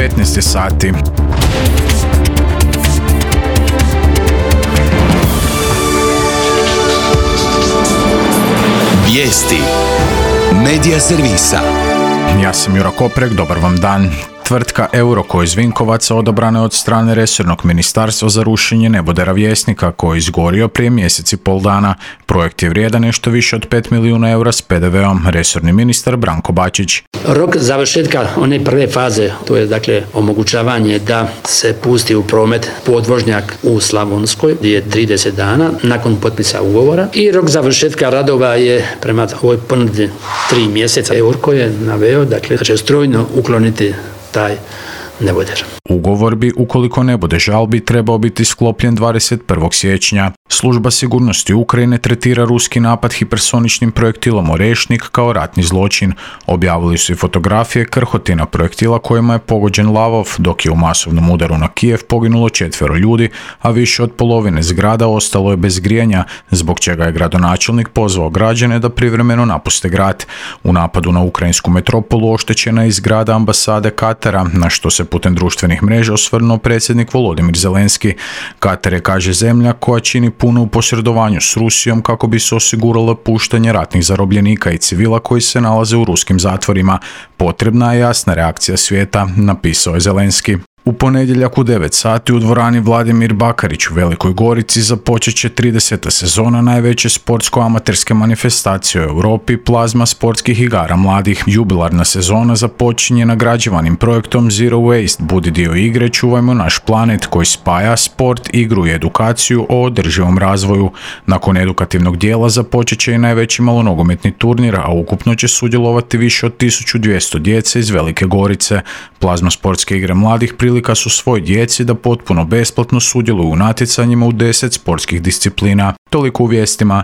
15 sati. Vijesti Medija servisa. Ja sam Jura Koprek, dobar vam dan. Tvrtka Euroko iz Vinkovaca odabrana je od strane resornog ministarstva za rušenje nebodera Vjesnika koji je izgorio prije mjesec i pol dana. Projekt je vrijedan nešto više od 5 milijuna eura s PDV-om, resorni ministar Branko Bačić. Rok završetka one prve faze, to je dakle omogućavanje da se pusti u promet podvožnjak u Slavonskoj, je 30 dana nakon potpisa ugovora, i rok završetka radova je prema ovoj ponudi 3 mjeseca. Euroko je naveo dakle da će strojno ukloniti taj neboder. Ugovor bi, ukoliko ne bude žalbi, trebao biti sklopljen 21. siječnja. Služba sigurnosti Ukrajine tretira ruski napad hipersoničnim projektilom Orešnik kao ratni zločin. Objavili su i fotografije krhotina projektila kojima je pogođen Lavov, dok je u masovnom udaru na Kijev poginulo 4 ljudi, a više od polovine zgrada ostalo je bez grijanja, zbog čega je gradonačelnik pozvao građane da privremeno napuste grad. U napadu na ukrajinsku metropolu oštećena je i zgrada ambasade Katara, na što se putem društvenih mreža osvrnuo predsjednik Volodimir Zelenski. Katar je, kaže, zemlja koja čini puno u posredovanju s Rusijom kako bi se osiguralo puštanje ratnih zarobljenika i civila koji se nalaze u ruskim zatvorima. Potrebna je jasna reakcija svijeta, napisao je Zelenski. U ponedjeljak u 9 sati u dvorani Vladimir Bakarić u Velikoj Gorici započet će 30. sezona najveće sportsko-amaterske manifestacije u Europi, Plazma sportskih igara mladih. Jubilarna sezona započinje nagrađivanim projektom Zero Waste, budi dio igre, čuvajmo naš planet, koji spaja sport, igru i edukaciju o održivom razvoju. Nakon edukativnog dijela započet će i najveći malonogometni turnir, a ukupno će sudjelovati više od 1200 djece iz Velike Gorice. Plazma sportske igre mladih prilika su svoj djeci da potpuno besplatno sudjeluju u natjecanjima u 10 sportskih disciplina. Toliko u vijestima.